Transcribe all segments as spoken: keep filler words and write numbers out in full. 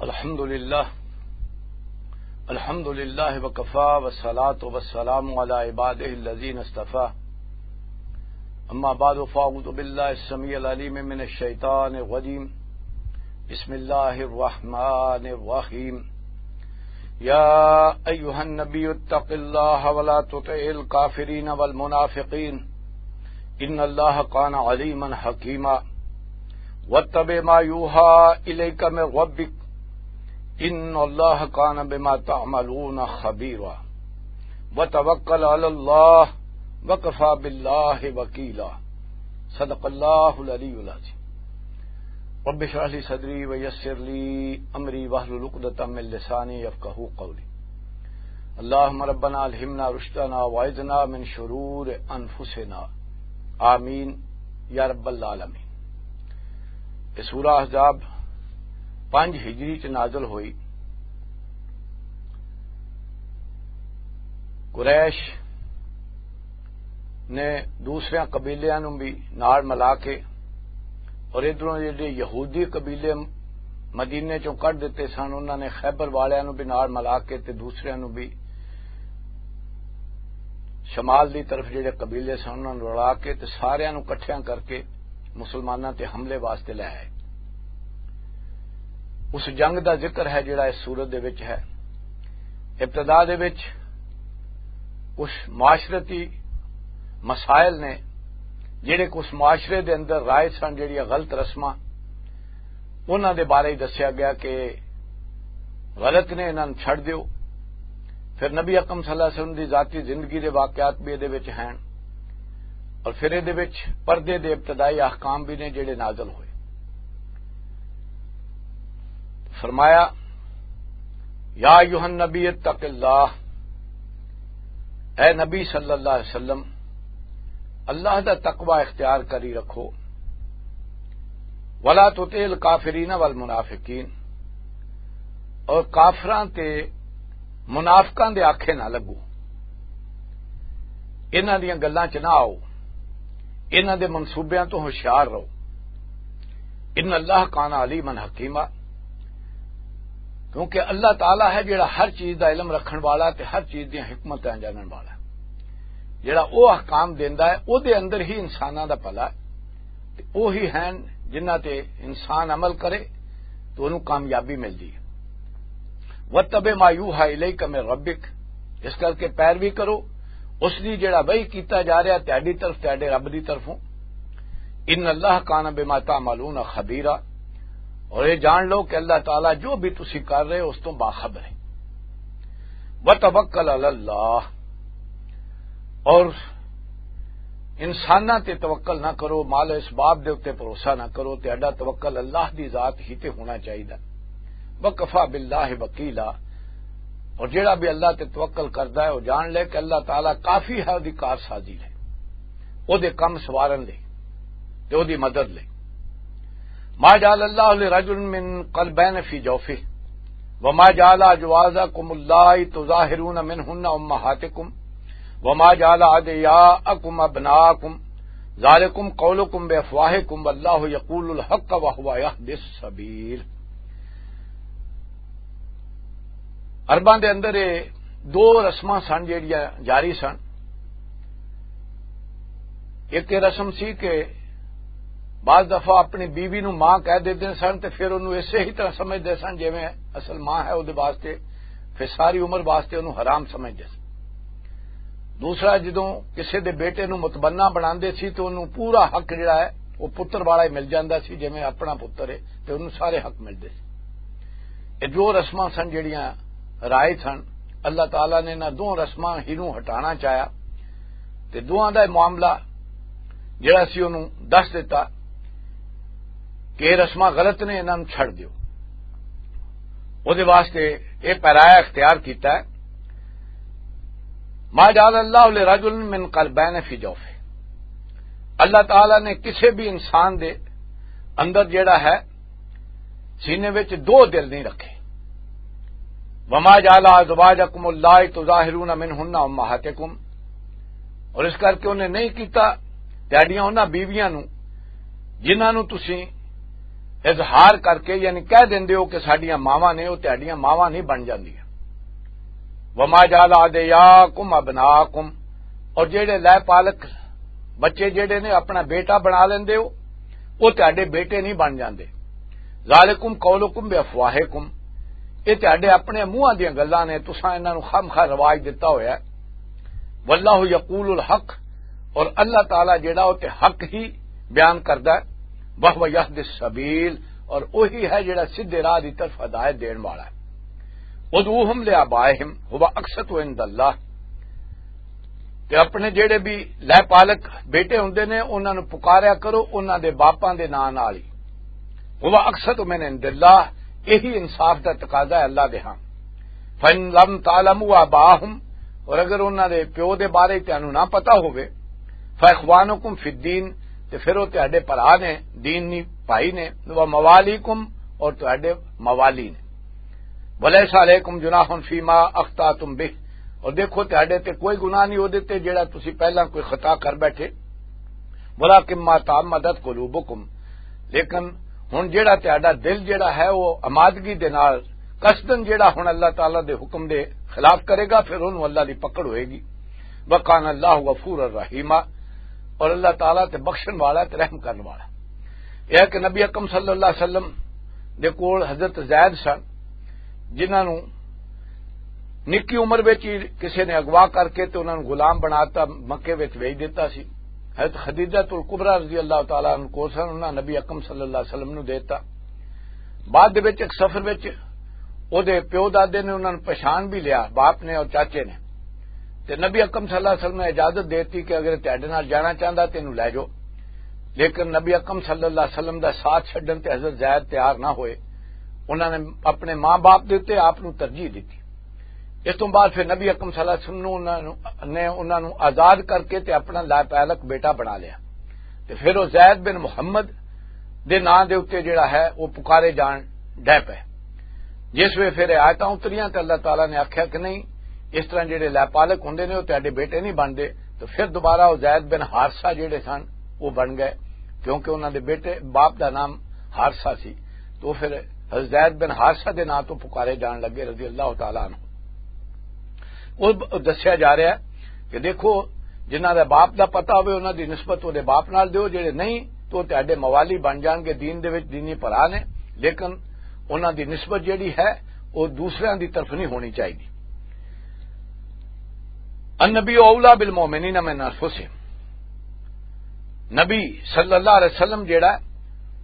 الحمد لله. الحمد لله وكفى، والصلاة والسلام على عباده الذين اصطفى. أما بعد، فأعوذ بالله السميع العليم من الشيطان الرجيم. بسم الله الرحمن الرحيم. يا أيها النبي اتق الله ولا تطع الكافرين والمنافقين. إن الله كان عليما حكيما. واتبع ما يوحى إليك من ربك. إن الله كان بما تعملون خبيرا. وتوكل على الله، وكفى بالله وكيلا. صدق الله العلي العظيم. رب اشرح لي صدري ويسر لي أمري واحلل عقدة من لساني يفقهوا قولي. اللهم ربنا ألهمنا رشدنا وأعذنا من شرور أنفسنا. آمين يا رب العالمين. یہ سورہ احزاب پانچ ہجری چ نازل ہوئی۔ قریش نے دوسرے قبیلیاں نوں بھی نال ملا کے، اور ادھروں جڑے یہودی قبیلے مدینے چوں کڈ دتے سن، انہاں نے خیبر والیاں نوں بھی نال ملا کے تے دوسریاں نوں بھی، شمال دی طرف جڑے قبیلے سن، انہاں نوں رلا کے تے ساریاں نوں اکٹھیاں کر کے مسلماناں تے حملے واسطے لے آئے۔ اس جنگ دا ذکر ہے جڑا اس سورت دے وچ ہے۔ ابتدا دے وچ کچھ معاشرتی مسائل نے، جڑے کچھ معاشرے دے اندر رائج سن، جڑیاں غلط رسماں، انہاں دے بارے ہی دسیا گیا کہ غلط نے، انہاں نوں چھڈ دیو۔ پھر نبی اکرم صلی اللہ علیہ وسلم دی ذاتی زندگی دے واقعات بھی ادھے وچ ہیں، اور پھر ادھے وچ پردے دے ابتدائی احکام بھی نے جڑے نازل ہوئے۔ فرمایا، یا ایھا النبی اتق اللہ، اے نبی صلی اللہ علیہ وسلم، اللہ دا تقوی اختیار کری رکھو۔ ولا تطع الکافرین والمنافقین، اور کافراں تے منافقاں دے آکھے نہ لگو، انہاں دیاں گلاں چ نہ آؤ، انہاں دے منصوبیاں تو ہوشیار رہو۔ ان اللہ کان علیما حکیما، کیونکہ اللہ تعالیٰ ہے جڑا ہر چیز دا علم رکھن والا تے ہر چیز دیاں حکمتاں جانن والا ہے۔ جڑا او احکام دیندا ہے، او دے اندر ہی انساناں دا بھلا ہے۔ تے اوہی ہن جنہاں تے انسان عمل کرے تو انہوں کامیابی ملدی ہے۔ وَاتَّبِعْ مَا يُوحَىٰ إِلَيْكَ مِن رَّبِّكَ، اس کر کے پیروی کرو اس دی جڑا وحی کیتا جا رہا تہاڈی طرف، تہاڈے رب دی طرفوں۔ إِنَّ اللَّهَ كَانَ بِمَا تَعْمَلُونَ خَبِيرًا، اور یہ جان لو کہ اللہ تعالیٰ جو بھی تسی کر رہے ہو اس تو باخبر ہے۔ وَتَوَكَّلْ عَلَى اللَّهِ، اور انساناں تے توکل نہ کرو، مال و اسباب دے اُتے بھروسہ نہ کرو، تہاڈا توکل اللہ دی ذات ہی تے ہونا چاہیدا۔ وَكَفَىٰ بِاللَّهِ وَكِيلًا، اور جیڑا بھی اللہ تے توکل کردا ہے، وہ جان لے کہ اللہ تعالیٰ کافی ہے، اودی کار سازی لے، اودے کم سوارن لے تے اودی مدد لے۔ ما جعل اللہ لرجل من قلبین فی جوفہ وما جعل ازواجکم اللہ تظاہرون منہن امہاتکم وما جعل ادعیاءکم ابناءکم ذالکم قولکم بافواہکم واللہ یقول الحق وہو یہدی السبیل۔ عرباں دے اندر یہ دو رسماں سن جیڑیاں جاری سن۔ ایک یہ رسم سی کہ بعض دفعہ اپنی بیوی نو ماں کہہ دیتے سن تے پھر انہوں اسے ہی طرح سمجھتے سن جویں اصل ماں ہے، وہ واسطے پھر ساری عمر واسطے انہوں حرام سمجھتے سن۔ دوسرا، جدوں کسے دے بیٹے نو متبنہ بناندے سی تے انہوں پورا حق جڑا ہے وہ پتر والا ہی مل جاندا سی، جویں اپنا پتر ہے، تے انہوں سارے حق ملدے سی۔ یہ دو رسماں سن جڑیاں رائج سن۔ اللہ تعالیٰ نے انہاں دو رسماں ہی نوں ہٹانا چاہیا، تے دوواں دا معاملہ جڑا سی انہوں دس دیتا کہ یہ رسماں غلط نے، انہاں نوں چھڈ دیو۔ او دے واسطے یہ پیرایا اختیار کیتا ہے، ما جعل اللہ لرجل من قلبین فی جوفہ۔ اللہ تعالیٰ نے کسے بھی انسان دے اندر جڑا ہے سینے وچ دو دل نہیں رکھے۔ وما جعل ازواجکم اللہ تظاہرون منہن امہاتکم، اور اس کر کے انہیں نہیں کیتا تہاڈیاں انہاں بیویاں نو جنہاں نو تسی اظہار کر کے، یعنی کہہ دیندے ہو کہ ساڈیاں ماواں نے، او تہاڈیاں ماواں نہیں بن جاندیاں۔ وما جعل ادعیاکم ابناکم، اور جڑے لے پالک بچے جڑے نے اپنا بیٹا بنا لیندے ہو، او تہاڈے بیٹے نہیں بن جاندے۔ ذالکم قولکم بافواہکم، اے تہاڈے اپنے منہاں دیاں گلاں نے، تساں انہاں نوں خامخواہ رواج دتا ہویا ہے۔ واللہ یقول الحق، اور اللہ تعالیٰ جڑا او تے حق ہی بیان کردا ہے۔ وہو یہدی السبیل، اور وہی ہے جڑا سیدھے راہ دی طرف ہدایت دین والا ہے۔ ادعوہم لآبائہم ہو اقسط عند اللہ، تے اپنے جڑے بھی لے پالک بیٹے ہوندے نے، انہاں نوں پکاریا کرو انہاں دے باپاں دے ناں نال ہی۔ ہو اقسط من عند اللہ، یہی انصاف دا تقاضا ہے اللہ دے ہاں۔ فَإِن لَّمْ تَعْلَمُوا آبَاءَهُمْ، اور اگر انہاں دے پیو دے بارے تانوں نہ پتا ہووے، فَإِخْوَانُكُمْ فِي الدِّينِ، تے پھر او تہاڈے بھرا نے، دین نی بھائی نے، وَمَوَالِيكُمْ، اور تہاڈے موالی نے۔ وَلَيْسَ عَلَيْكُمْ جُنَاحٌ فِيمَا أَخْطَأْتُمْ بِهِ، اور دیکھو تہاڈے تے کوئی گناہ نہیں اودے تے جڑا تسی پہلاں کوئی خطا کر بیٹھے۔ وَلَٰكِن مَّا تَعَمَّدَتْ قُلُوبُكُمْ، لیکن ہن جڑا تہاڈا دل جڑا ہے وہ آمادگی دے نال قصدن جڑا ہن اللہ تعالیٰ دے حکم دے خلاف کرے گا، پھر انہوں اللہ دی پکڑ ہوئے گی۔ وَكَانَ اللَّهُ غَفُورًا رَّحِيمًا، اور اللہ تعالیٰ تے بخشن والا تے رحم کرن والا۔ یہ ہے کہ نبی اکرم صلی اللہ علیہ وسلم دے کول حضرت زید سن، جنہاں نوں نکی عمر وچ ہی کسے نے اغوا کر کے تے انہاں نوں غلام بناتا، مکے وچ ویچ دیتا سی۔ حضرت خدیجہ الکبریٰ رضی اللہ تعالیٰ عنہ کول سن، انہاں نبی اکرم صلی اللہ علیہ وسلم نوں دیتا۔ بعد دے وچ ایک سفر وچ او دے پیو دادے نے انہاں نوں پہچان بھی لیا، باپ نے اور چاچے نے۔ تے نبی اکرم صلی اللہ علیہ وسلم نے اجازت دیتی کہ اگر تہاڈے نال جانا چاہندا تے اینوں لے جاؤ۔ لیکن نبی اکرم صلی اللہ علیہ وسلم دا ساتھ چھڈن تے حضرت زید تیار نہ ہوئے۔ انہاں نے اپنے ماں باپ دے اُتے آپ نوں ترجیح دتی۔ اس توں بعد پھر نبی اکرم صلی اللہ علیہ وسلم نوں انہاں نوں، نے انہاں نوں آزاد کر کے تے اپنا لائق بیٹا بنا لیا۔ تے پھر وہ زید بن محمد دے ناں دے اُتے جڑا ہے وہ پکارے جان ڈے پے۔ جس ویلے پھر آیتاں اتریاں تے اللہ تعالیٰ نے آکھیا کہ نہیں، اس طرح جڑے لے پالک ہوندے نے، وہ تہاڈے بیٹے نہیں بنتے۔ تو پھر دوبارہ وہ زید بن حارثہ جڑے سن، وہ بن گئے، کیونکہ انہاں دے بیٹے، باپ دا نام حارثہ سی۔ تو پھر حضرت زید بن حارثہ دے نام تو پکارے جان لگے، رضی اللہ تعالیٰ عنہ۔ وہ ب-، دسیا جا رہا ہے کہ دیکھو، جنہاں دا باپ دا پتہ ہوئے، انہاں دی نسبت وہ دے باپ نال دیو، جڑے نہیں تو تہاڈے موالی بن جان گے، دین دے وچ دینی بھرا نے، لیکن انہاں دی نسبت جڑی ہے، وہ دوسریاں دی طرف نہیں ہونی چاہیے۔ النبی اولا بالمؤمنین من انفسہم، نبی صلی اللہ علیہ وسلم جڑا ہے،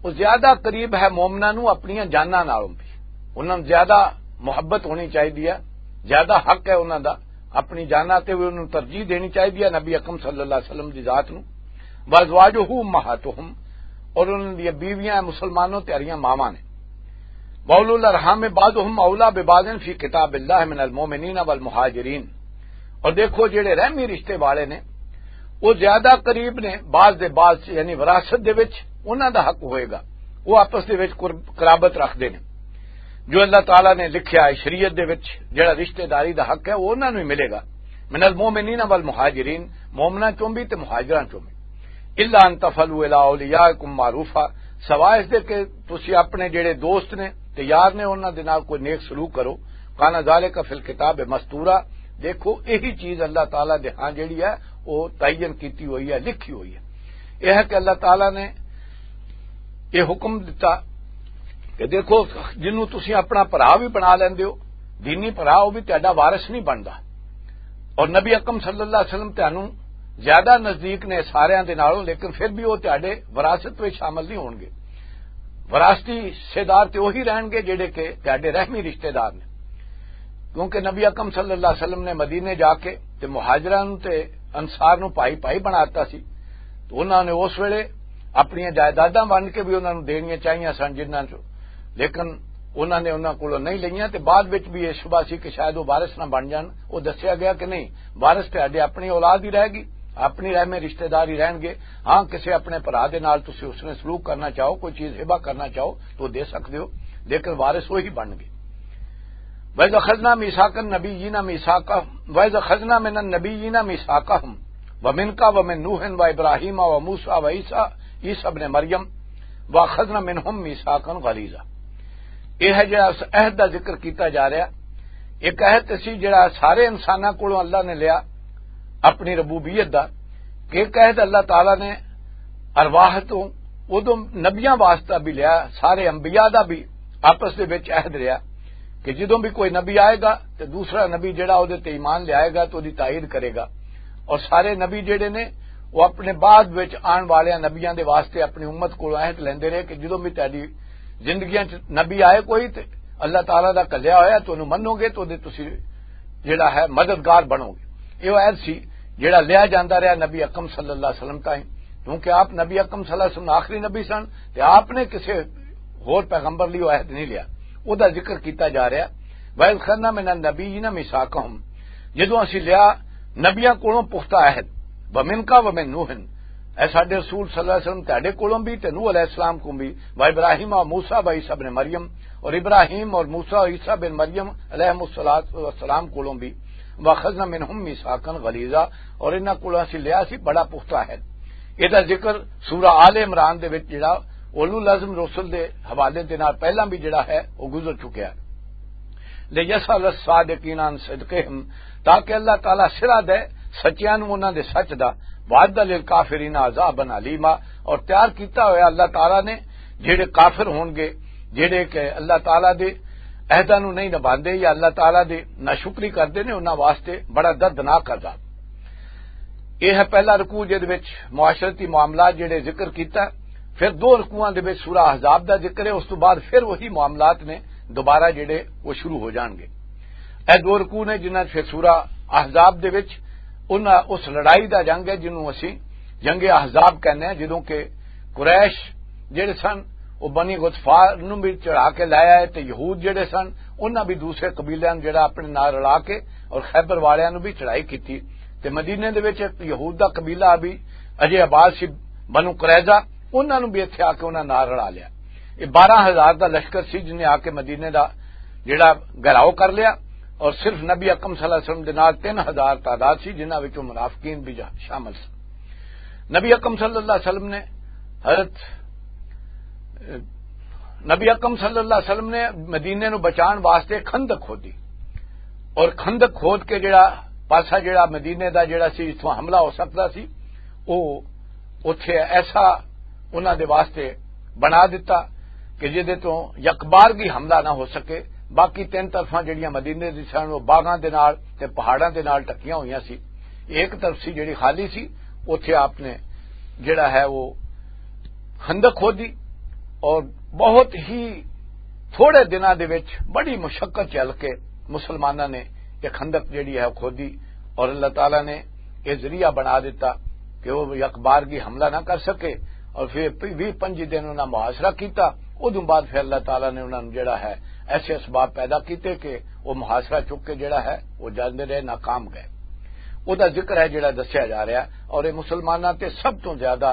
وہ زیادہ قریب ہے مومناں نوں اپنیاں جاناں نالوں بھی۔ انہاں نوں زیادہ محبت ہونی چاہیے ہے، زیادہ حق ہے انہاں دا، اپنی جاناں تے بھی انہاں نوں ترجیح دینی چاہیے ہے نبی اکرم صلی اللہ علیہ وسلم دی ذات نوں۔ وازواجہ امہاتہم، اور انہاں دی بیویاں مسلمانوں تیاریاں ماواں نے۔ واولو الارحام بعضہم اولا ببعض فی کتاب اللہ من المؤمنین والمہاجرین۔ اور دیکھو، جڑے رحمی رشتے والے نے، وہ زیادہ قریب نے بعض دے بعض سے، یعنی وراثت دے وچ انہاں دا حق ہوئے گا، وہ آپس دے وچ قرب-، قرابت رکھدے نے۔ جو اللہ تعالیٰ نے لکھیا ہے شریعت دے وچ، جڑا رشتہ داری دا حق ہے، وہ انہاں نوں ہی ملے گا۔ من المؤمنین والمہاجرین، مومناں چوں بھی تے مہاجراں چوں بھی۔ الا ان تفعلوا الی اولیاءکم معروفا، سوائے اس دے کہ تسی اپنے جڑے دوست نے تے یار نے، انہاں دے نال کوئی نیک سلوک کرو۔ کان ذالک فی الکتاب مستورا، دیکھو یہی چیز اللہ تعالیٰ دے ہاں جڑی ہے، وہ تعین کیتی ہوئی ہے، لکھی ہوئی ہے۔ یہ ہے کہ اللہ تعالیٰ نے یہ حکم دتا کہ دیکھو، جنوں تسی اپنا بھرا بھی بنا لیندے ہو، دینی بھرا، وہ بھی تہاڈا وارث نہیں بندا۔ اور نبی اکرم صلی اللہ علیہ وسلم تہانوں زیادہ نزدیک نے ساریاں دے نالوں، لیکن پھر بھی وہ تہاڈے وراثت وچ شامل نہیں ہون گے۔ وراثتی حصے دار تے وہی رہن گے جڑے کہ تہاڈے رحمی رشتے دار نے۔ کیونکہ نبی اکرم صلی اللہ علیہ وسلم نے مدینے جا کے تے مہاجراں نوں تے انصار نوں بھائی بھائی بنا دتا سی، تو انہاں نے اس ویلے اپنیاں جائیداداں ونڈ کے بھی انہاں نوں دینیاں چاہیاں سن جنہاں چوں، لیکن انہاں نے انہاں کولوں نہیں لئیاں۔ تے بعد وچ بھی یہ شبہ سی کہ شاید وہ وارث نہ بن جان۔ وہ دسیا گیا کہ نہیں، وارث تے اڈے اپنی اولاد ہی رہ گئی، اپنی رحم رشتہ دار ہی رہن گے۔ ہاں، کسے اپنے بھرا دے نال تسی اس نے سلوک کرنا چاہو، کوئی چیز ہبہ کرنا چاہو تو دے سکتے ہو، لیکن وارث وہی بن گئے۔ وَإِذْ أَخَذْنَا مِيثَاقَ النَّبِيِّينَ مِيثَاقَهُمْ، وَإِذْ أَخَذْنَا مِنَ النَّبِيِّينَ مِيثَاقَهُمْ وَمِنْكَ وَمِنْ نُوحٍ وَإِبْرَاهِيمَ وَمُوسَىٰ وَعِيسَىٰ، عِيسَىٰ ابْنِ مَرْيَمَ، واخذنا منہم میثاقا غلیظا۔ یہ ہے جڑا اس عہد دا ذکر کیتا جا رہا۔ ایک عہد سی جڑا سارے انساناں کولوں اللہ نے لیا اپنی ربوبیت دا، کہ ایک عہد اللہ تعالیٰ نے ارواح تو ادوں نبیاں واسطہ بھی لیا، سارے انبیاء دا بھی آپس دے وچ عہد رہیا کہ جدوں بھی کوئی نبی آئے گا تے دوسرا نبی جڑا او دے تے ایمان لے آئے گا تے او دی تائید کرے گا۔ اور سارے نبی جڑے نے، وہ اپنے بعد وچ آن والے نبیاں دے واسطے اپنی امت کولوں عہد لیندے رہے کہ جدوں بھی تہاڈی زندگیاں چ نبی آئے کوئی تے اللہ تعالیٰ دا کلیا ہویا تے انہوں منو گے تے او دے تسی جڑا ہے مددگار بنو گے۔ یہ عہد سی جڑا لیا جاندا رہیا نبی اکرم صلی اللہ علیہ وسلم تائیں، کیونکہ آپ نبی اکرم صلی اللہ علیہ وسلم آخری نبی سن تے آپ نے کسے ہور پیغمبر لئی وہ عہد نہیں لیا۔ او دا ذکر کیتا جا رہا۔ وَإِذْ خَذْنَا مِنَ النَّبِيِّينَ مِيثَاقَهُمْ، جدوں اسی لیا نبیاں کولوں پختہ عہد، وَمِنْكَ وَمِنْ نُوحٍ، اے ساڈے رسول صلی اللہ علیہ وسلم تہاڈے کولوں بھی تے نوح علیہ السلام کوں بھی، وَإِبْرَاهِيمَ وَمُوسَىٰ وَعِيسَىٰ ابْنِ مَرْيَمَ، اور ابراہیم اور موسیٰ اور عیسیٰ بن مریم علیہ الصلوۃ والسلام کولوں بھی، وَأَخَذْنَا مِنْهُمْ مِيثَاقًا غَلِيظًا، اور انہاں کولوں اسی لیا سی بڑا پختہ عہد۔ اے دا ذکر سورہ آل عمران دے وچ جڑا اولو العزم رسل دے حوالے دے نال پہلاں بھی جڑا ہے، وہ گزر چکیا ہے۔ لِيَسْأَلَ الصَّادِقِينَ عَنْ صِدْقِهِمْ، تاکہ اللہ تعالیٰ سرا دے سچیاں نوں انہاں دے سچ دا، وَأَعَدَّ لِلْكَافِرِينَ عَذَابًا أَلِيمًا، اور تیار کیتا ہویا اللہ تعالیٰ نے جڑے کافر ہون گے، جڑے کہ اللہ تعالیٰ دے عہداں نوں نہیں نبھاندے یا اللہ تعالیٰ دے ناشکری کردے نے، انہاں واسطے بڑا دردناک عذاب۔ یہ ہے پہلا رکوع جس وچ معاشرتی معاملات جڑے ذکر کیتا۔ پھر دو رکوعاں دے وچ سورہ احزاب دا ذکر ہے، اس تو بعد پھر وہی معاملات نے دوبارہ جڑے وہ شروع ہو جان گے۔ اے دو رکوع نے جنہاں پھر سورہ احزاب دے وچ انہاں اس لڑائی دا جنگ ہے جنوں اسی جنگ احزاب کہنے ہیں، جدوں کہ قریش جڑے سن، وہ بنی غطفان نوں بھی چڑھا کے لایا ہے، تے یہود جڑے سن، انہاں بھی دوسرے قبیلیاں نوں جڑا اپنے نال رلا کے اور خیبر والیاں نوں بھی چڑھائی کیتی۔ تے مدینے دے وچ ایک یہود دا قبیلہ بھی اجے آباد سی، بنو قریظہ، انہاں نوں بھی اتھے آ کے انہاں نال رلا لیا۔ یہ بارہ ہزار دا لشکر سی جن نے آ کے مدینے دا جڑا گھراؤ کر لیا، اور صرف نبی اکرم صلی اللہ علیہ وسلم دے نال تین ہزار تعداد سی، جنہاں وچوں منافقین بھی جا-، شامل سن۔ نبی اکرم صلی اللہ علیہ وسلم نے حضرت، نبی اکرم صلی اللہ علیہ وسلم نے مدینے نو بچان واسطے خندق کھودی، اور خندق کھود کے جڑا پاسا جڑا مدینے دا جڑا سی جتھوں حملہ ہو سکدا سی، او اوتھے ایسا انہاں دے واسطے بنا دتا کہ جدے تو یکبارگی حملہ نہ ہو سکے۔ باقی تین طرفاں جڑیاں مدینے دی سن، وہ باغاں دے نال تے پہاڑاں دے نال ٹکیاں ہوئیاں سی۔ ایک طرف سی جڑی خالی سی، اوتھے آپ نے جڑا ہے وہ خندق کھودی، اور بہت ہی تھوڑے دناں دے وچ بڑی مشقت جھل کے مسلماناں نے یہ خندق جڑی ہے کھودی، اور اللہ تعالیٰ نے یہ ذریعہ بنا دیتا کہ وہ یکبارگی حملہ نہ کر سکے، اور پھر ویہہ پنجی دن انہاں محاصرہ کیتا۔ ادوں بعد پھر اللہ تعالیٰ نے انہاں نوں جڑا ہے ایسے اسباب پیدا کیتے کہ وہ محاصرہ چک کے جڑا ہے وہ جاندے رہے، ناکام گئے۔ او دا ذکر ہے جڑا دسیا جا رہا ہے، اور یہ مسلماناں تے سب تو زیادہ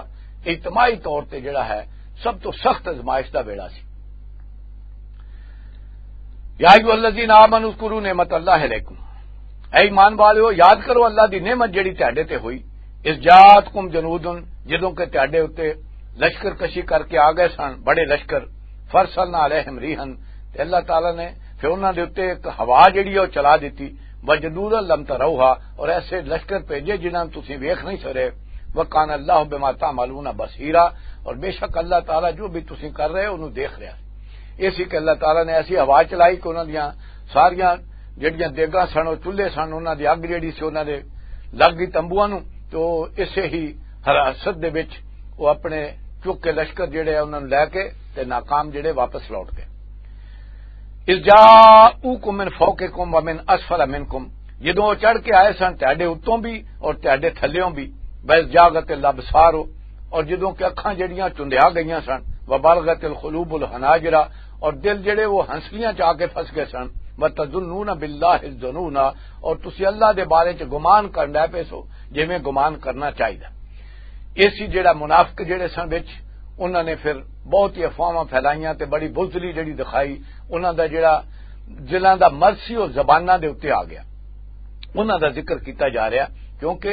اجتماعی طور تے جڑا ہے سب تو سخت ازمائش دا ویڑا سی۔ یا ایھا الذین آمنوا اذکروا نعمت اللہ علیکم، اے ایمان والو، یاد کرو اللہ دی نعمت جڑی تہاڈے تے ہوئی، اذ جاءتکم جنود، جدوں کہ تہاڈے اُتے لشکر کشی کر کے آ گئے سن بڑے لشکر، فارسلنا علیہم ریحا، تے اللہ تعالیٰ نے پھر انہاں دے اُتے ایک ہوا جڑی ہے وہ چلا دتی، وجنودا لم تروہا، اور ایسے لشکر بھیجے جنہاں نوں تسی ویکھ نہیں سکے، وکان اللہ بما تعملون بصیرا، اور بے شک اللہ تعالیٰ جو بھی تسی کر رہے ہو انہوں دیکھ رہا ہے۔ یہ سی کہ اللہ تعالیٰ نے ایسی ہوا چلائی کہ انہاں دیاں ساریاں جڑیاں دیگاں سن، وہ چولہے سن، انہاں دی اگ جڑی سی، انہاں دے لگ گئی تمبواں نوں، تے وہ اسے ہی حراست دے وچ وہ اپنے چک کے لشکر جڑے انہاں نوں لے کے تے ناکام جڑے واپس لوٹ گئے۔ اذ جاءوکم من فوقکم ومن اسفل منکم، جدوں وہ چڑھ کے آئے سن تہاڈے اتوں بھی اور تہاڈے تھلیوں بھی، واذ زاغت الابصار، اور جدوں کہ اکھاں جڑیاں چندیا گئیاں سن، وبلغت القلوب الحناجر، اور دل جڑے وہ ہنسلیاں چ آ کے پھس گئے سن، وتظنون باللہ الظنون، اور تسی اللہ دے بارے چ گمان کرن لے پے سو جویں گمان کرنا چاہیدا۔ ایسی جڑا منافق جڑے سن وچ، انہاں نے پھر بہت ہی افواہاں پھیلائیاں تے بڑی بزدلی جڑی دکھائی، انہاں دا جڑا دلاں دا مرض سی وہ زباناں دے اُتے آ گیا۔ انہاں دا ذکر کیتا جا رہا کیونکہ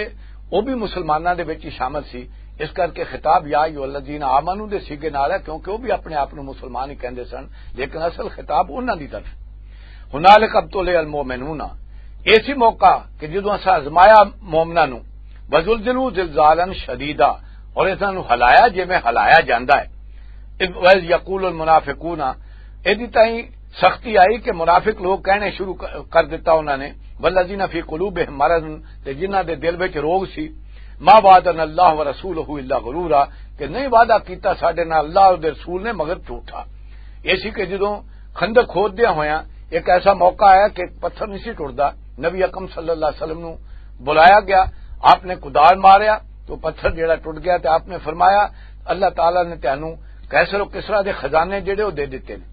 وہ بھی مسلماناں دے وچ ہی شامل سی۔ اس کر کے خطاب یا ایھا الذین آمنو دے سیگے نال ہے، کیونکہ وہ بھی اپنے آپ نوں مسلمان ہی کہندے سن، لیکن اصل خطاب انہاں دی طرف۔ ہنالک ابتلی المؤمنون، ایسی موقع کہ جدوں اساں آزمایا مومناں نوں، وزلزلوا زلزالا شدیدا، اور انہاں نوں ہلایا جویں ہلایا جاندا ہے۔ اذ، وَإِذْ يَقُولُ الْمُنَافِقُونَ، ایدی تائیں سختی آئی کہ منافق لوگ کہنے شروع ک-، کر دتا انہاں نے، وَالَّذِينَ فِي قُلُوبِهِمْ مَرَضٌ، تے جنہاں دے دل وچ روگ سی، مَا وَعَدَنَا اللَّهُ وَرَسُولُهُ إِلَّا غُرُورًا، کہ نہیں وعدہ کیتا ساڈے نال اللہ اور دے رسول نے مگر جھوٹا۔ ایسی کہ جدوں خندق کھود دیا ہویا ایک ایسا موقع آیا کہ پتھر نہیں سی ٹردا، نبی اکرم صلی اللہ علیہ وسلم نو بلایا گیا، آپ نے کدال ماریا تو پتھر جڑا ٹوٹ گیا، تے آپ نے فرمایا، "اللہ تعالیٰ نے تانوں قیصر و کسریٰ دے خزانے جڑے وہ دے دیتے نے۔"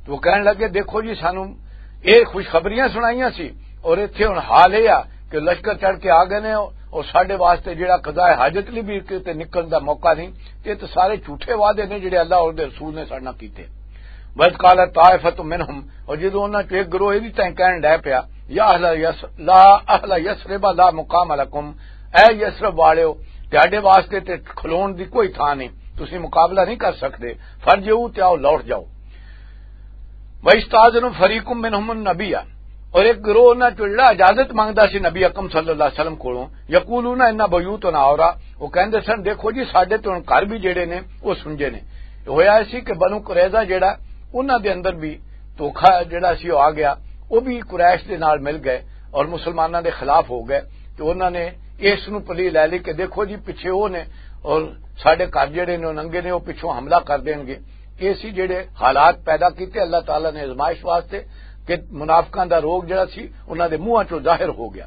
تو وہ کہنے لگے، "دیکھو جی، سانوں یہ خوشخبریاں سنائیاں سی، اور اتھے ہن حال یہ آ کہ لشکر چڑھ کے آ گئے نے، اور ساڈے واسطے جڑا قضاء حاجت لئی بھی کتے نکلن دا موقع نہیں، تے یہ تو سارے جھوٹے وعدے نے جڑے اللہ اور دے رسول نے ساڈے نال کیتے۔" وَإِذْ قَالَتْ طَائِفَةٌ مِّنْهُمْ، اور جدوں انہاں چوں ایک گروہ ایدی تائیں کہن ڈے پیا، یا اہل یس-، لا اہل یثرب لا مقام لکم، اے یثرب والےو، تہاڈے واسطے تے کھلون دی کوئی تھاں نہیں، تسی مقابلہ نہیں کر سکدے، فارجعوا، تے آؤ لوٹ جاؤ۔ وَيَسْتَأْذِنُ فَرِيقٌ مِّنْهُمُ النَّبِيَّ، اور ایک گروہ انہاں چوں جڑا اجازت منگدا سی نبی اکرم صلی اللہ علیہ وسلم کولوں، یقولون ان بیوتنا عورۃ، وہ کہندے سن، "دیکھو جی، ساڈے تے ہن گھر بھی جڑے نے، وہ سنجے نے۔" ہویا ایسی کہ بنو قریظہ جڑا، انہاں دے اندر بھی دھوکھا جڑا سی، وہ آ گیا، وہ بھی قریش دے نال مل گئے اور مسلماناں دے خلاف ہو گئے۔ تو انہاں نے اس نو پلی لے لی کہ دیکھو جی، پیچھے وہ نے اور ساڈے گھر جڑے نے، وہ ننگے نے، وہ پچھوں حملہ کر دین گے۔ ایسی جڑے حالات پیدا کیتے اللہ تعالیٰ نے آزمائش واسطے کہ منافقاں دا روگ جڑا سی، انہاں دے منہاں چوں ظاہر ہو گیا۔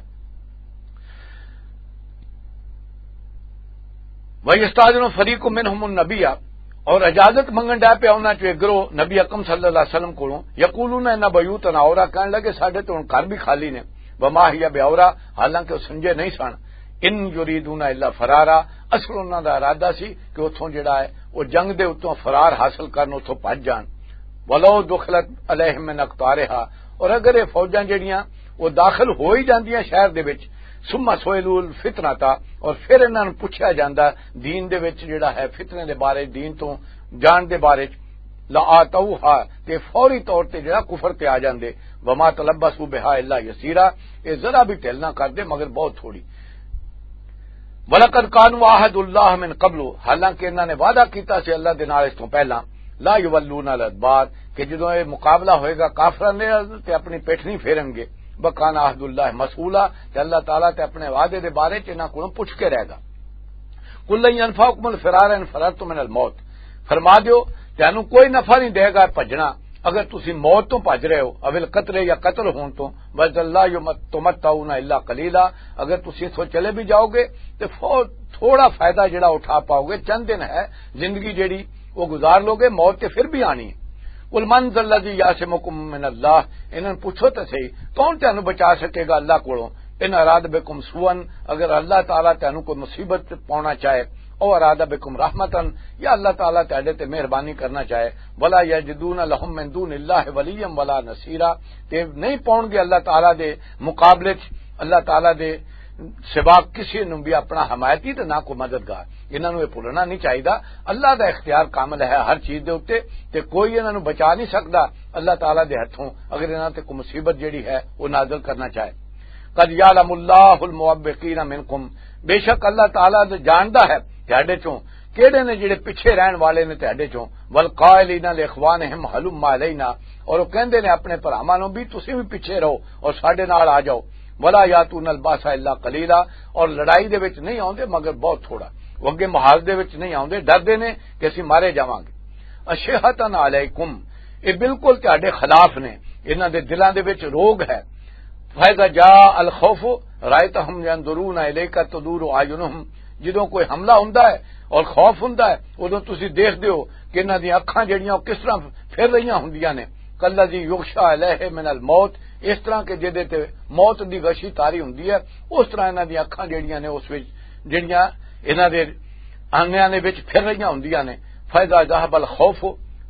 وَيَسْتَأْذِنُ فَرِيقٌ مِّنْهُمُ النَّبِيَّ، اور اجازت منگن ڈے پیا انہاں چوں ایک گروہ نبی اکرم صلی اللہ علیہ وسلم کولوں، یقولون ان بیوتنا عورۃ، کہن لگے ساڈے تے ہن گھر بھی خالی نے، وما هي بعورۃ، حالانکہ وہ سنجے نہیں سن، ان یریدون الا فرارا، اصل انہاں دا ارادہ سی کہ اتھوں جڑا ہے وہ جنگ دے اتوں فرار حاصل کرن، اتھوں بھج جان، ولو دخلت علیہم من اقطارہا، اور اگر یہ فوجاں جڑیاں وہ داخل ہو ہی جاندیاں شہر دے وچ، ثم سئلوا الفتنۃ، اور پھر انہاں نوں پوچھیا جاندا دین دے وچ جڑا ہے فتنے دے بارے، دین تو جان دے بارے، لآتوہا، تے فوری طور تے جڑا کفر تے آ جاندے، وما تلبثوا بہا الا یسیرا، اے ذرا بھی ڈھل نہ کردے مگر بہت تھوڑی۔ وَلَقَدْ كَانُوا عَاهَدُوا اللَّهَ مِنْ قَبْلُ، حالانکہ انہاں نے وعدہ کیتا سی اللہ دے نال اس تو پہلا، لَا يُوَلُّونَ الْأَدْبَارَ، کہ جدوں یہ مقابلہ ہوئے گا کافراں دے تے اپنی پٹھ نہیں پھیرن گے۔ وَكَانَ عَهْدُ اللَّهِ مَسْئُولًا، تے اللہ تعالیٰ تے اپنے وعدے دے بارے چ انہاں کولوں پوچھ کے رہے گا۔ قُل لَن يَنفَعَكُمُ الْفِرَارُ إِنْ فِرَرْتُمْ مِنَ الْمَوْتِ، فرما دیو، تینوں کوئی نفع نہیں دے گا بھجنا، اگر تسی موت تو بھج رہے ہو، اوِّل قتل، یا قتل ہون تو، بس اللہ تمتعون الا قلیلا، اگر تسی اتھوں چلے بھی جاؤ گے تے فو-، تھوڑا فائدہ جڑا اٹھا پاؤ گے، چند دن ہے زندگی جڑی وہ گزار لو گے، موت تے پھر بھی آنی ہے۔ قل من ذا الذی یعصمکم من اللہ، انہاں نوں پوچھو تے صحیح، کون تانوں بچا سکے گا اللہ کولوں؟ ان اراد بکم سوءا، اگر اللہ تعالیٰ تانوں کوئی مصیبت پاؤنا چاہے، او اراد بکم رحمتا، یا اللہ تعالیٰ تہاڈے تے مہربانی کرنا چاہے، ولا یجدون لہم من دون اللہ ولیا ولا نصیرا، تے نہیں پاؤن گے اللہ تعالیٰ دے مقابلے چ، اللہ تعالیٰ دے سوا کسی نوں بھی اپنا حمایتی تے نہ کوئی مددگار۔ انہاں نوں یہ بھولنا نہیں چاہیدا، اللہ دا اختیار کامل ہے ہر چیز دے اُتے، تے کوئی انہاں نوں بچا نہیں سکدا اللہ تعالیٰ دے ہتھوں، اگر انہاں تے کوئی مصیبت جڑی ہے وہ نازل کرنا چاہے۔ قد یعلم اللہ المعوقین منکم، بے شک اللہ تعالیٰ تے جاندا ہے تہاڈے چوں کیڑے نے جڑے پیچھے رہن والے نے تہاڈے چوں، والقائلین لاخوانہم ہلم الینا، اور وہ کہندے نے اپنے بھراواں نوں بھی تسی بھی پیچھے رہو اور ساڈے نال آ جاؤ، ولا یاتون الباس الا قلیلا، اور لڑائی دے وچ نہیں آوندے مگر بہت تھوڑا، وہ اگے محاذ دے وچ نہیں آوندے، ڈردے نے کہ اسی مارے جاواں گے۔ اشحتن علیکم، یہ بالکل تہاڈے خلاف نے، انہاں دے دلاں دے وچ روگ ہے۔ فَإِذَا جَاءَ الْخَوْفُ رَأَيْتَهُمْ يَنْظُرُونَ إِلَيْكَ تَدُورُ أَعْيُنُهُمْ، جدوں کوئی حملہ ہوندا ہے اور خوف ہوندا ہے، اُدوں تسی دیکھدے ہو کہ انہاں دیاں اکھاں جڑیاں او کس طرح پھر رہیاں ہوندیاں نے، کالذی یغشی علیہ من الموت، اس طرح کہ جدے تے موت دی غشی طاری ہوندی ہے، اس طرح انہاں دیاں اکھاں جڑیاں نے اس وچ جڑیاں انہاں دے آنگیاں دے وچ پھر رہیاں ہوندیاں نے۔ فَإِذَا ذَهَبَ الْخَوْفُ،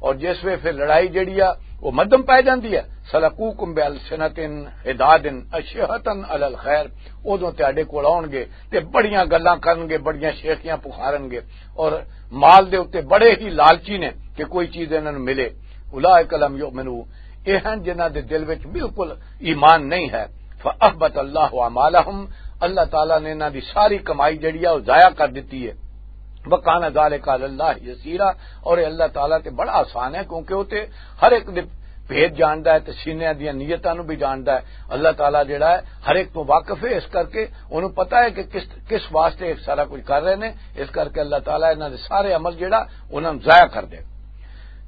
اور جس ویلے پھر لڑائی جڑی آ وہ مدم پے جاندی ہے، سلقوکم بالسنۃ حداد اشہۃ علی الخیر، ادوں تہاڈے کول آؤن گے تے بڑیاں گلاں کرن گے، بڑیاں شیخیاں پخارن گے، اور مال دے اُتے بڑے ہی لالچی نے کہ کوئی چیز انہاں نوں ملے۔ اولئک لم یؤمنوا، یہ ہیں جنہاں دے دل وچ بالکل ایمان نہیں ہے۔ فاحبط اللہ اعمالہم، اللہ تعالیٰ نے انہاں دی ساری کمائی جڑی ہے وہ ضائع کر دتی ہے۔ وکان ذالک علی اللہ یسیرا، اور یہ اللہ تعالیٰ تے بڑا آسان ہے، کیونکہ وہ تے ہر ایک دے بھید جاندا ہے تے سینے دیاں نیتاں نوں بھی جاندا ہے۔ اللہ تعالیٰ جڑا ہے ہر ایک تو واقف ہے، اس کر کے انہوں پتا ہے کہ کس کس واسطے یہ سارا کچھ کر رہے نے۔ اس کر کے اللہ تعالیٰ انہاں دے سارے عمل جڑا انہاں نوں ضائع کر دے۔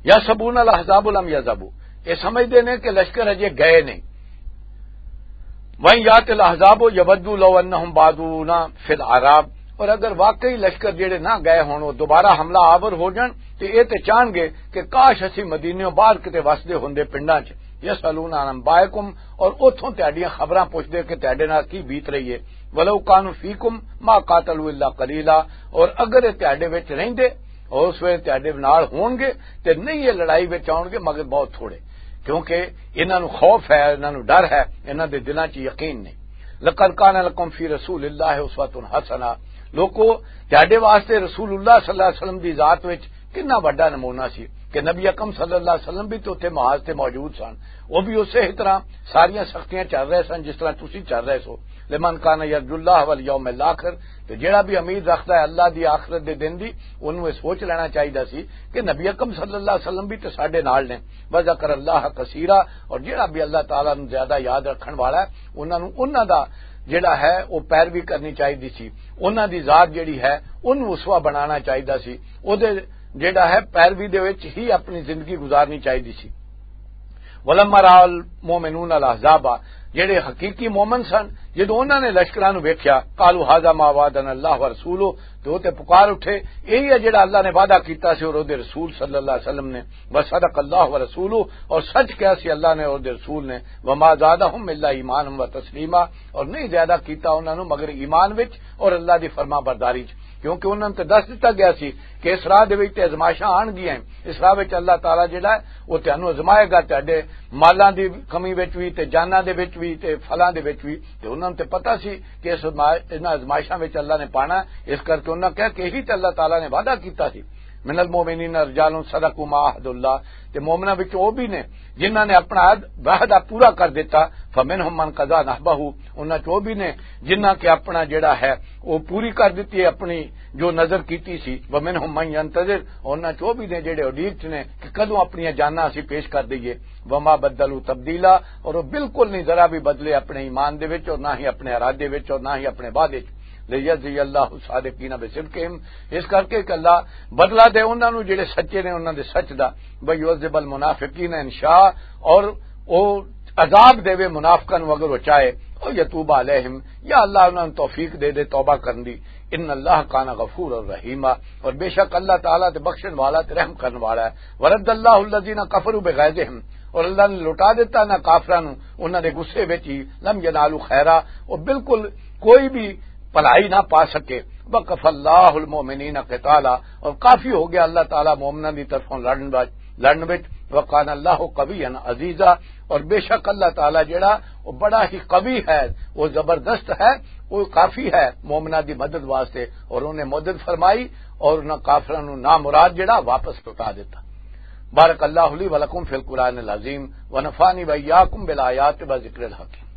یحسبون الاحزاب لم یذهبوا، یہ سمجھدے نے کہ لشکر اجے گئے نہیں۔ وَإِنْ يَأْتِ الْأَحْزَابُ يَوَدُّوا لَوْ أَنَّهُمْ بَادُونَ فِي الْأَعْرَابِ، اور اگر واقعی لشکر جڑے نہ گئے ہون، وہ دوبارہ حملہ آور ہو جان، تے اے تے چاہن گے کہ کاش اسی مدینے باہر کتے وسدے ہوندے پنڈاں چ۔ یسألون عن انبائکم، اور اتھوں تہاڈیاں خبراں پوچھدے کہ تہاڈے نال کی بیت رہی ہے۔ وَلَوْ كَانُوا فِيكُمْ مَا قَاتَلُوا إِلَّا قَلِيلًا، اور اگر اے تہاڈے وچ رہندے، اور اس ویلے تہاڈے نال ہون گے، تے نہیں یہ لڑائی وچ آؤن گے مگر بہت تھوڑے، کیونکہ انہاں نوں خوف ہے، انہاں نوں ڈر ہے، انہاں دے دلاں 'چ یقین نہیں۔ لقد کان لکم فی رسول اللہ اسوۃ حسنہ، لوکو، تہاڈے واسطے رسول اللہ صلی اللہ علیہ وسلم دی ذات وچ کتنا وڈا نمونہ سی کہ نبی اکرم صلی اللہ علیہ وسلم بھی تے اتھے محاذ تے موجود سن، وہ بھی اسی طرح ساریاں سختیاں چل رہے سن جس طرح تسی چل رہے سو۔ لمن کان یرجو اللہ والیوم الاخر، تے جیڑا بھی امید رکھدا ہے اللہ دی آخرت دے دن دی، انہوں یہ سوچ لینا چاہیدا سی کہ نبی اکرم صلی اللہ علیہ وسلم بھی تے ساڈے نال نے۔ وذکر اللہ کثیرا، اور جیڑا بھی اللہ تعالیٰ نوں زیادہ یاد رکھن والا ہے، انہاں نوں، انہاں دا جیڑا ہے وہ پیروی کرنی چاہیدی سی، انہاں دی ذات جیڑی ہے انہوں اسوہ بنانا چاہیدا سی، او دے جیڑا ہے پیروی دے وچ ہی اپنی زندگی گزارنی چاہیدی سی۔ ولما راى المؤمنون الاحزاب، جڑے حقیقی مومن سن، جدوں انہاں نے لشکراں نوں ویکھیا، قالوا هذا ما وعدنا الله ورسوله، تے او تے پکار اٹھے، یہی ہے جڑا اللہ نے وعدہ کیتا سی اور اودے رسول صلی اللہ علیہ وسلم نے۔ وصدق الله ورسوله، اور سچ کہا سی اللہ نے اور اودے رسول نے۔ وما زادهم الا ایمانا وتسلیما، اور نہیں زیادہ کیتا انہاں نوں مگر ایمان وچ اور اللہ دی فرما برداری وچ، کیونکہ انہاں نوں تے دس دتا گیا سی کہ اس راہ دے وچ تے آزمائشاں آن گیاں ہیں۔ اس راہ وچ اللہ تعالیٰ جڑا ہے، وہ تانوں آزمائے گا، تہاڈے مالاں دی کمی وچ وی، تے جاناں دے وچ وی، تے پھلاں دے وچ وی۔ تے انہاں نوں تے پتہ سی کہ اس آزما-، انہاں آزمائشاں وچ اللہ نے پانا ہے، اس کر کے انہاں کہا کہ یہی تے اللہ تعالیٰ نے وعدہ کیتا سی۔ من المؤمنین رجال صدقوا ما عاهدوا الله، تے مومناں وچ او بھی نے جنہاں نے اپنا عہد، وعدہ پورا کر دیتا۔ فمنهم من قضى نحبه، انہاں چ او بھی نے جنہاں کہ اپنا جڑا ہے وہ پوری کر دیتی ہے اپنی جو نظر کیتی سی۔ ومنهم من ينتظر، انہاں چ او بھی نے جڑے اڈیک چ نے کہ کدوں اپنی جاناں اسی پیش کر دئیے۔ وما بدلوا تبدیلا، اور وہ بالکل نہیں ذرا بھی بدلے اپنے ایمان دے وچ اور نہ ہی اپنے ارادے وچ اور نہ ہی اپنے وعدے وچ۔ لیجزی اللہ الصادقین بصدقہم، اس کر کے کہ اللہ بدلہ دے انہاں نوں جڑے سچے نے انہاں دے سچ دا۔ ویعذب المنافقین ان شاء، اور او عذاب دے وے منافقاں نوں اگر وہ چاہے۔ او یتوب علیہم، یا اللہ انہاں نوں توفیق دے دے توبہ کرن دی۔ ان اللہ کان غفور الرحیم، اور بے شک اللہ تعالیٰ تے بخشن والا تے رحم کرن والا ہے۔ ورد اللہ الذین کفروا بغیظہم، اور اللہ نے لٹا دیتا انہاں کافراں نوں انہاں دے غصے وچ ہی۔ لم ینالوا خیرا، وہ بالکل کوئی بھی بھلائی نہ پا سکے۔ وکف اللہ المؤمنین قتالا، اور کافی ہو گیا اللہ تعالیٰ مومناں دی طرفوں لڑن وچ، لڑن وچ۔ وکان اللہ قویا عزیزا، اور بے شک اللہ تعالیٰ جڑا وہ بڑا ہی قوی ہے، وہ زبردست ہے، وہ کافی ہے مومناں دی مدد واسطے، اور انہیں مدد فرمائی اور انہاں کافراں نوں نامراد جڑا واپس لوٹا دیتا۔ بارک اللہ لی ولکم فی القرآن العظیم ونفعنی وإیاکم بالآیات و ذکر الحکیم۔